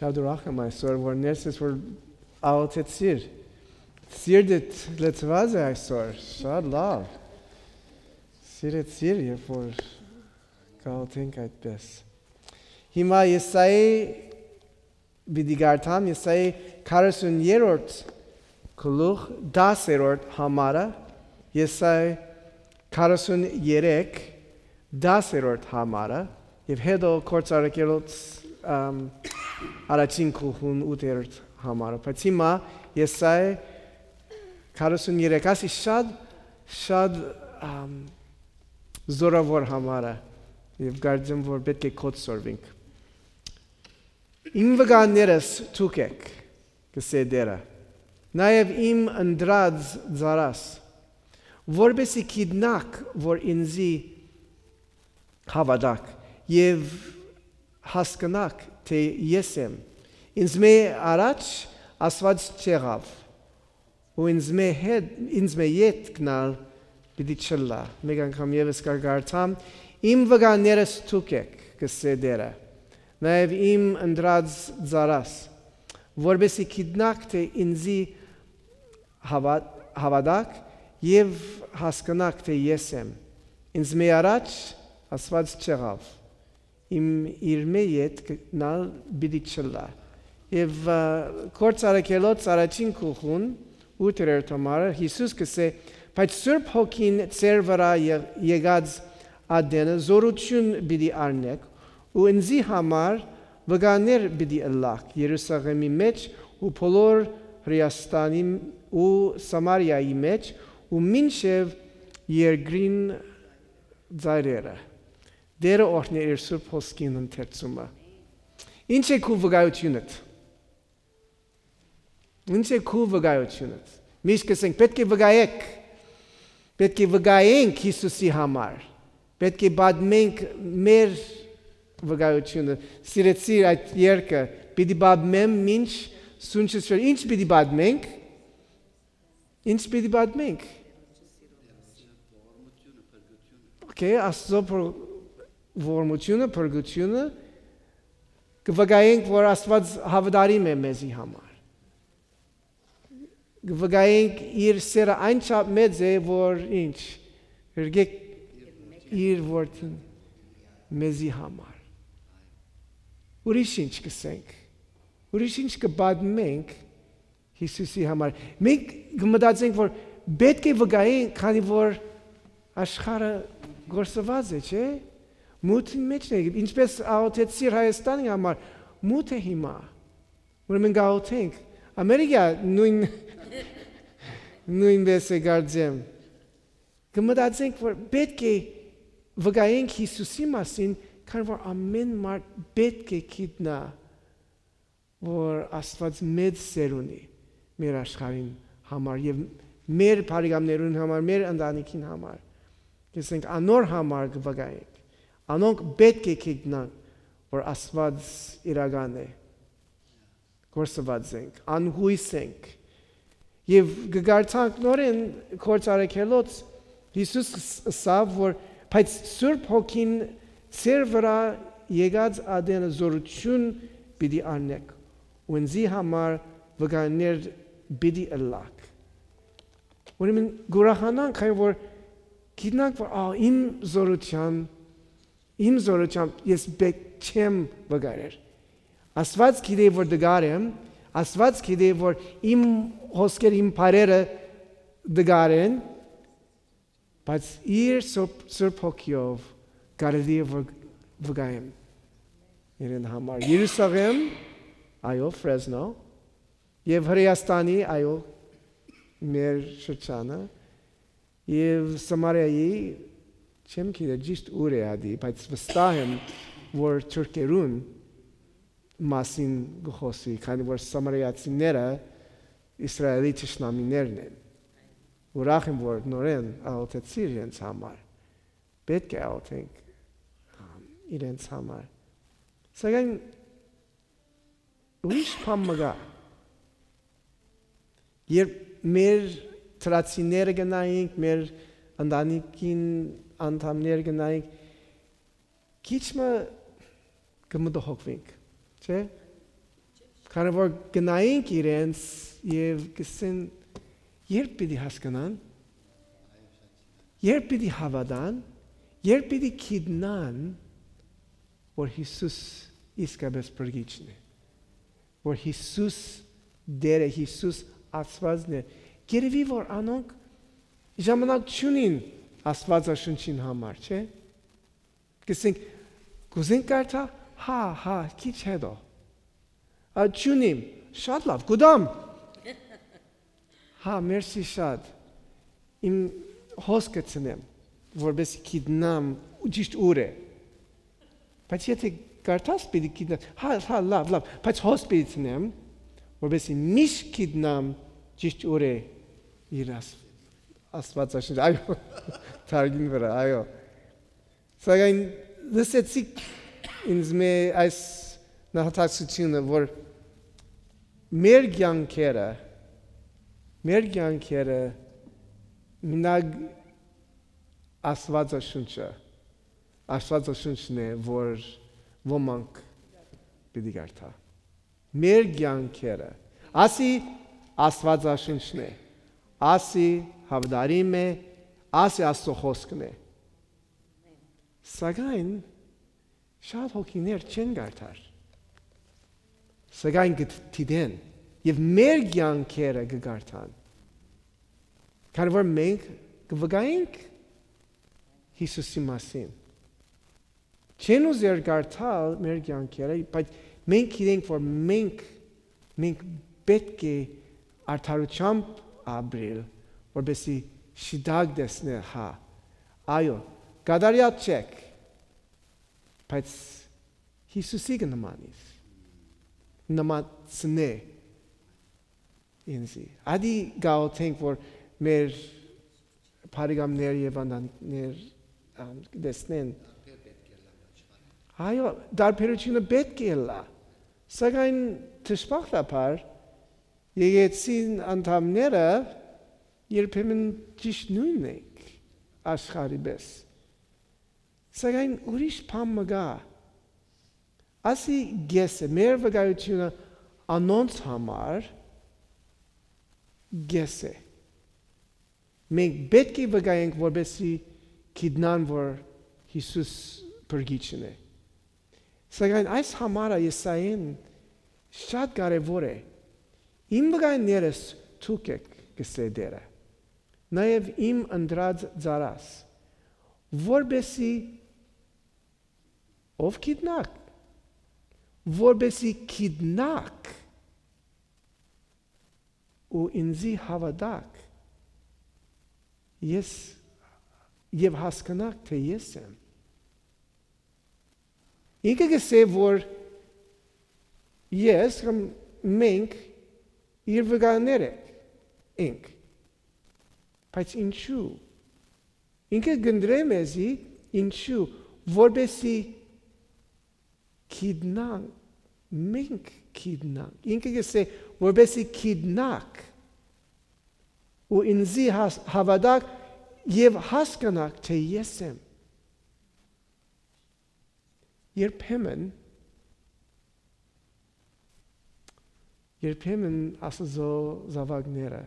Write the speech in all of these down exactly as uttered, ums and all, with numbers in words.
Շատ ուրախ եմ այսօր, որ ներս ես, որ աղոթեցիր։ Սիրտդ լցուած է այսօր, շատ լավ։ Սիրեցիր, երբ որ կաղոթենք այդպես։ Հիմա Եսայի պիտի կարդամ, Եսայի քառասուն երրորդ գլուխ, տասերորդ համարը, Եսայի քառասուն երեք, տասերորդ համարը, եւ հետո Գործարքերոց, ամ, առաջին գլուխուն ութերորդ համարը։ Բայց հիմա Եսայի քառասուն երեք, ասի շատ, շատ, ամ, զօրաւոր համարը, եւ կարծեմ, որ պէտք է կոչ սորվինք։ «Իմ վկաներս դուք էք», կ'ըսէ Տէրը, «նաեւ իմ ընտրած ծառաս, որպէսզի գիտնաք, որ ինծի հաւատաք եւ հասկնաք, թէ ես եմ։ Ինծմէ առաջ Աստուած չեղաւ, ու ինծմէ հետ, ինծմէ ետք ալ պիտի չըլլայ»։ Մէկ անգամ եւս կը կարդամ. «Իմ վկաներս դուք էք», կ'ըսէ Տէրը, «նաեւ իմ ընտրած ծառաս, որպէսզի գիտնաք, թէ ինծի հաւա-, հաւատաք եւ հասկնաք, թէ ես եմ։ Ինծմէ առաջ Աստուած չեղաւ, իմ իրմէ ետք ալ պիտի չըլլայ»։ Եւ, ա, Գործարքերոց առաջին գլուխուն ութերորդ համարը Յիսուս կ'ըսէ. «Բայց Սուրբ Հոգին ձեր վրայ ե-, եկած ատենը զօրութիւն պիտի առնէք ու ինծի համար վկաներ պիտի ըլլաք Երուսաղէմի մէջ ու բոլոր Հրէաստանի ու Սամարիայի մէջ ու մինչեւ երկրին ծայրերը»։ Տէրը օրհնէ իր Սուրբ Հոգին ընթերցումը։ Ի՞նչ է քու վկայութիւնդ։ Ի՞նչ է քու վկայութիւնդ։ Միշտ կ'ըսենք, պէտք է վկայեք, պէտք է վկայենք Յիսուսի համար, պէտք է պատմենք մեր վկայութիւնը։ Սիրեցի այդ երգը, պիտի պատմեմ մինչ սունչս չոր։ Ի՞նչ պիտի պատմենք։ Ի՞նչ պիտի պատմենք։ Okay, Աստծո փր-, ողորմությունը, փրկությունը, կը վկայենք, որ Աստուած հաւատարիմ է մեզի համար։ Կը վկայենք իր սերը այնչափ մեծ է, որ ինչ, ղեկեք իր որդին մեզի համար։ Ուրիշ ինչ կ'ըսենք, ուրիշ ինչ կը պատմենք Յիսուսի համար։ Մենք կը մտածենք, որ պէտք է վկայենք, քանի որ աշխարհը կորսուած է, չէ՞։ Մութին մէջն է, ինչպես աղօթեցիր Հայաստանի համար, մութ է հիմա։ Ուրեմն կաղօթենք։ Ամերիկա նոյն-, նոյնպես է, կարծեմ։ Կը մտածենք, որ պէտք է վկայենք Յիսուսի մասին, քանի որ ամէն մարդ պէտք է գիտնայ, որ Աստուած մեծ սեր ունի մեր աշխարհին համար եւ մեր բարեկամներուն համար, մեր ընտանիքին համար։ Կ'ըսենք, անոր համար կը վկայենք։ Անոնք պէտք է գիտնան, որ Աստուած իրական է, կորսուած ենք, անյոյս ենք։ Եւ կը կարդանք նորէն Գործարքերոց, Յիսուս ս-, ըսաւ, որ, բայց Սուրբ Հոգին ձեր վրայ եկած ատենը զօրութիւն պիտի առնէք, ու ինծի համար վկաներ պիտի ըլլաք։ Ուրեմն կ'ուրախանանք, քանի որ գիտնանք, որ, ա, իմ զօրութեան, իմ զօրութեամբ ես պէտք չեմ վկայեր։ Աստուած գիտէ, որ տկար եմ, Աստուած գիտէ, որ իմ հոսքեր, իմ բառերը տկար են, բայց իր Սուրբ, Սուրբ Հոգիով կարելի է, որ վկայեմ իրեն համար։ Երուսաղեմ, այո, Ֆրեզնո, եւ Հրէաստանի, այո, մեր շրջանը, եւ Սամարիայի, չեմ գիտեր ճիշդ ուր է ատի, բայց վստահ եմ, որ թուրքերուն մասին կը խօսի, քանի որ սամարիացիները Իսրայէլի թշնամիներն են։ Ուրախ եմ, որ նորէն աղօթեցիր իրենց համար։ Պէտք է աղօթենք, ամ, իրենց համար։ Սակայն ուրիշ բան մը կայ։ Երբ մեր դրացիները կը նայենք, մեր ընտանիքին անդամները կը նայենք, քիչ մը կը մտահոգուենք, չէ՞։ Քանի որ գնայինք իրենց եւ կսեն, երբ պիտի հասկանան, երբ պիտի հաւատան, երբ պիտի գիտնան, որ Յիսուս իսկապէս փրկիչն է, որ Յիսուս Տէր է, Յիսուս Աստուածն է։ Երևի որ անոնք ժամանակ չունին Աստուածաշունչին համար, չէ՞։ Կսենք, կուզենք կարդա, հա, հա, քիչ հետո։ Ա, չունիմ, շատ լավ, կուտամ։ Հա, մերսի շատ։ Իմ հոսքը ցնեմ, որպեսզի գիտնամ ճիշտ ուր է։ Բայց եթե կարդաս, պիտի գիտնաս, հա, հա, լավ, լավ, բայց հոս պիտի ցնեմ, որպեսզի միշտ գիտնամ ճիշտ ուր է իր Աս-, Աստուածաշունչ, այո, թարգին վրայ, այո։ Սակայն լսեցիք ինձ մե այս նահատակցությունը, որ մեր կեանքերը, մեր կեանքերը մինակ Աստուածաշունչը, Աստուածաշունչն է, որ ոմանք պիտի կարդա։ Մեր կեանքերը, ասի Աստուածաշունչն է, ասի հաւատարիմ է, ասի Աստուծոյ խօսքն է։ Սակայն շատ հոգիներ չեն կարդար, սակայն կը դիտեն եւ մեր կեանքերը կը կարդան, քանի որ մենք կը վկայենք Յիսուսի մասին։ Չեն ուզեր կարդալ մեր կեանքերը, բայց մենք գիտենք, որ մենք, մենք պէտք է արդարութեամբ ապրիլ, որպեսզի շիտակ տեսնել, հա, այո, կատարյալ չեք, բայց Յիսուսի կը նմանիս, նմանցնէ ինձի։ Ադի գաղութենք, որ մեր բարեկամներ եւ ընտանիքներ, ամ, կտեսնեն։ Այո, տարբերությունը պէտք է ըլլայ, սակայն դժբախտաբար եկեցին անդամները երբեմն ճիշտ նոյնն ենք աշխարհի պես։ Սակայն ուրիշ բան մը կայ։ Ասի կէս է, մեր վկայութիւնը անոնց համար կէս է։ Մենք պէտք է վկայենք, որպեսզի գիտնան, որ Յիսուս փրկիչն է։ Սակայն այս համարը Եսայէն շատ կարեւոր է։ «Իմ վկայներս դուք էք», կ'ըսէ Տէրը, «նաեւ իմ ընտրած ծառաս, որպեսզի», ով գիտնաք, որպեսզի գիտնաք ու ինձի հաւատաք, ես, եւ հասկնաք, թէ ես եմ։ Ինքը կ'ըսէ, որ ես կամ մենք իր վկաներ ենք, ենք։ Բայց ինչու՞։ Ինքը կ'ընտրէ մեզի, ինչու՞, որպեսզի գիտնանք, մենք գիտնանք։ Ինքը կ'ըսէ, որպեսզի գիտնաք ու ինձի հաս-, հաւատաք եւ հասկնաք, թէ ես եմ։ Երբեմն, երբեմն Աստուծոյ զաւակները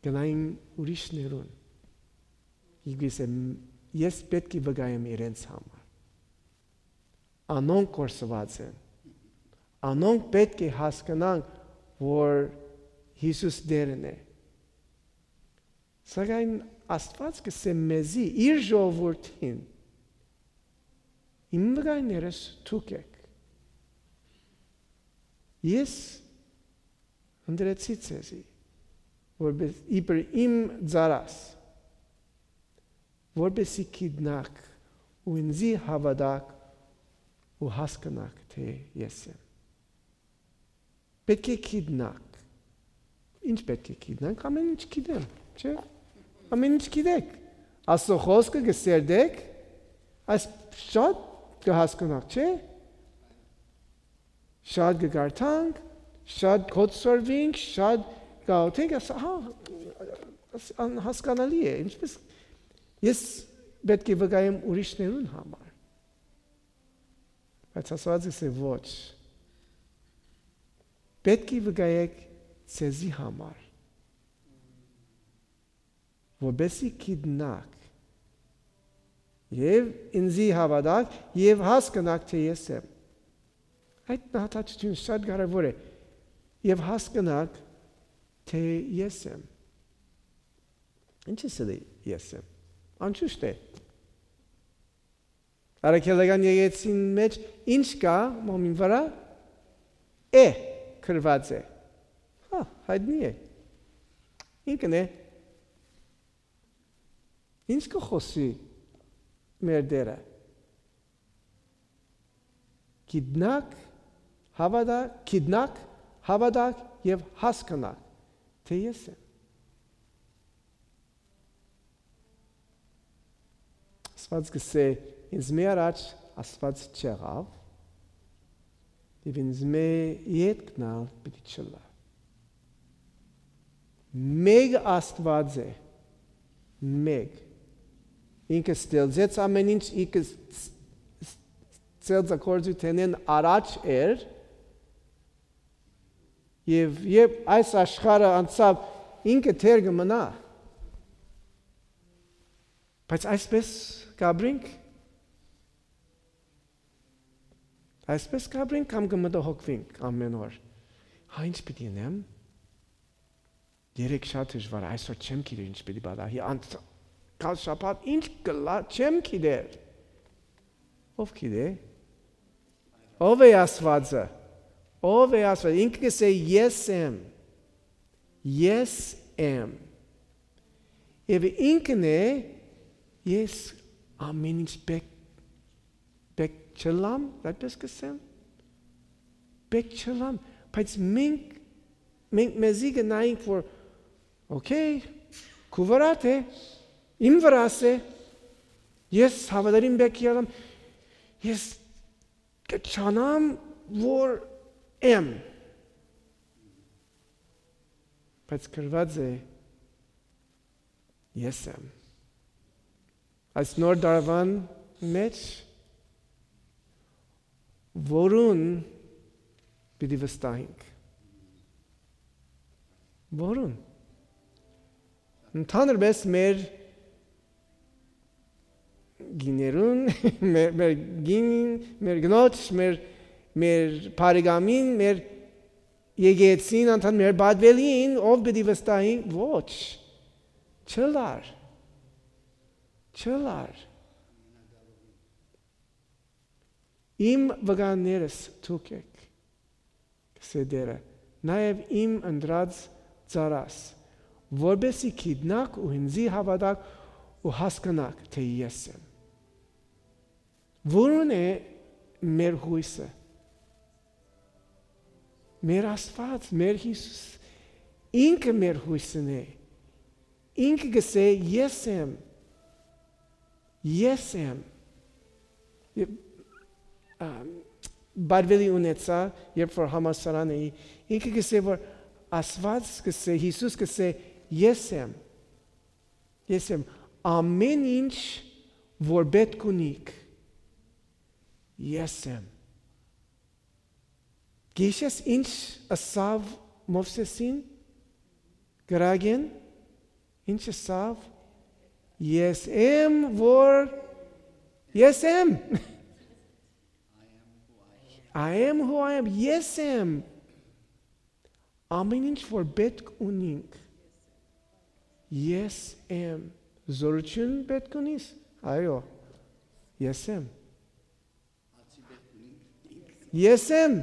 գնային ուրիշներուն։ Ինքը կ'ըսէ, ես պէտք է վկայեմ իրենց համար։ Անոնք կորսուած են։ Անոնք պէտք է հասկնան, որ Յիսուս Տէրն է։ Սակայն Աստուած կ'ըսէ մեզի, իր ժողովուրդին, իմ վկաներս դուք էք։ Ես ընտրեցի ձեզի, որպես իբր իմ ծառաս, որպեսզի գիտնաք ու ինձի հաւատաք ու հասկնաք, թէ ես եմ։ Պէտք է գիտնաք։ Ինչ պէտք է գիտնանք։ Ամեն ինչ գիտեմ, չէ՞։ Ամեն ինչ գիտեք։ Աստուծոյ խօսքը կը սերտեք, այս շատ կը հասկնաք, չէ՞։ Շատ կը կարդանք, շատ կ'օտսորվինք, շատ կ'աղօթենք, աս-, հա, աս-, անհասկանալի է, ինչպես ես պէտք է վկայեմ ուրիշներուն համար։ Բայց Աստուած կ'ըսէ, ոչ։ Պէտք է վկայէք ձեզի համար, որպէսզի գիտնաք եւ ինծի հաւատաք եւ հասկնաք թէ ես եմ։ Այդ նահատակցութիւնը շատ կարեւոր է։ Եւ հասկնաք թէ ես եմ։ Ինչ ես ըլի ես եմ։ Անշուշտ է։ Առաքելական եկեղեցին մէջ ինչ կա մոմին վրայ։ Է գրուած է։ Հա, հայտնի է։ Ինքն է։ Ինչ կը խօսի մեր Տէրը։ Գիտնաք, հաւատա, գիտնաք, հաւատաք եւ հասկնաք թէ ես եմ։ Աստուած կ'ըսէ. «Ինձ մէ առաջ Աստուած չեղաւ, եւ ինձ մէ ետքն ալ պիտի չըլլայ»։ Մէկ Աստուած է, մէկ։ Ինքը ստեղծեց ամէն ինչ, ինքը ս-, ս-, ստեղծագործութենէն առաջ էր, եւ երբ այս աշխարհը անցաւ, ինքը դեռ կը մնայ։ Բայց այսպես կ'ապրինք, այսպես կ'ապրինք կամ կը մտահոգուինք ամէն օր։ Հա, ինչ պիտի ընեմ։ Երեկ շատ դժուար, այսօր չեմ գիտեր ինչ պիտի պատահի, անց-, գալ շաբաթ ինչ կ'ըլլայ, չեմ գիտեր։ Ո՞վ գիտէ։ Ո՞վ է Աստուածը։ Ո՞վ է Աստուածը։ Ինքը կ'ըսէ. «Ես եմ, ես եմ»։ Եւ ինքն է. «Ես ամէն ինչ պէտք, պէտք չըլլամ», այդպես կ'ըսեմ։ «Պէտք չըլլամ», բայց մենք, մենք մեզի կը նայենք, որ, օքեյ, քու վրադ է, իմ վրաս է, ես հաւատարիմ պէտք ըլլամ, ես կը ճանամ որ եմ, բայց գրուած է. «Ես եմ»։ Այս նոր տարուան մէջ որուն պիտի վստահենք։ Որուն։ Ընդհանրապես մեր գիներուն, մեր, մեր գինին, մեր գնոջ, մեր, մեր բարեկամին, մեր եկեցին անդամ, մեր պատվելին, ով պիտի վստահի, ոչ, չըլլար, չըլլար։ Իմ վկաներս դուք էք, կ'ըսէ Տէրը, նաեւ իմ ընտրած ծառաս, որպէսզի գիտնաք ու ինծի հաւատաք ու հասկնաք թէ ես եմ։ Որուն է մեր յոյսը։ Մեր Աստուած, մեր Յիսուս, ինքը մեր յոյսն է։ Ինքը կ'ըսէ. «Ես եմ, ես եմ»։ Ե-, ա, բարբելի ունեցայ, երբ որ համալսարան էի, ինքը կ'ըսէ որ Աստուած կ'ըսէ, Յիսուս կ'ըսէ. «Ես եմ, ես եմ, ամէն ինչ որ պէտք ունիք, ես եմ»։ Գիշես ինչ ըսաւ Մովսեսին կրակէն, ինչ ըսաւ. «Ես եմ որ ես եմ»։ I am who I am. Ես եմ։ Ամեն ինչ որ պէտք ունինք, ես եմ։ Զորություն պէտք ունիս։ Այո, ես եմ։ Ես եմ։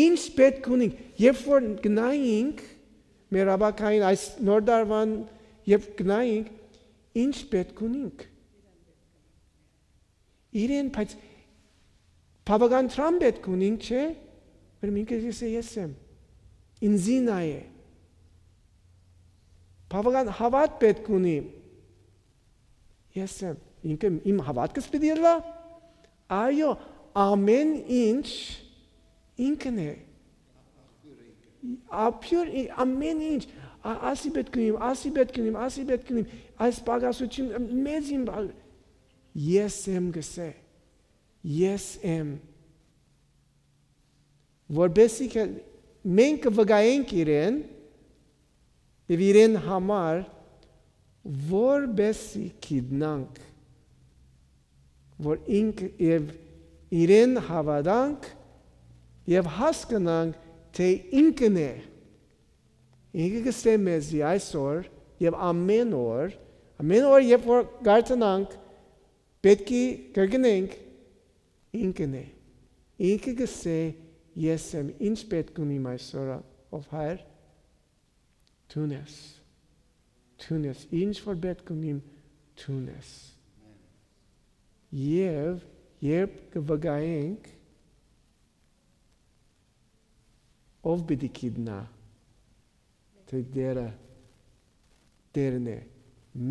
Ինչ պէտք ունինք, երբ որ գնայինք մեր ապագային այս նոր տարուան, երբ գնայինք, ինչ պէտք ունինք։ Իրեն, բայց բաւական դրամ պէտք ունինք, չէ՞։ Որ ինքը կ'ըսէ. «Ես եմ, ինձի նայէ»։ Բաւական հաւատ պէտք ունի. «Ես եմ, ինքը իմ հաւատքս պիտի ըլլայ»։ Այո, ամեն ինչ ինքն է։ Աբիւր, ի-, ամեն ինչ, ա-, ասի պէտք ունիմ, ասի պէտք ունիմ, ասի պէտք ունիմ, այս պակասություն, մեծ իմ բա-, ես եմ գսե, ես եմ, որպեսի կը-, մենք կը վկայենք իրեն եւ իրեն համար, որպեսզի գիտնանք, որ ինք, եւ իրեն հաւատանք եւ հասկնանք, թէ ինքն է։ Ինքը կ'ըսէ մեզի այսօր եւ ամէն օր, ամէն օր, երբ որ կարդանանք, պէտք է կրկնենք, ինքն է։ Ինքը կ'ըսէ, «Ես եմ, ինչ պէտք ունիմ այսօր, ով Հայր, դուն ես։ Դուն ես, ինչ որ պէտք ունիմ, դուն ես»։ Եւ երբ կը վկայենք, ով պիտի գիտնայ, թէ Տէրը Տէրն է։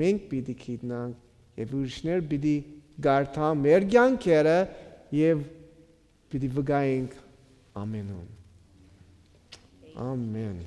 Մենք պիտի գիտնանք եւ ուրիշներ պիտի կարդան մեր կեանքերը եւ պիտի վկայենք ամենուն։ Ամեն։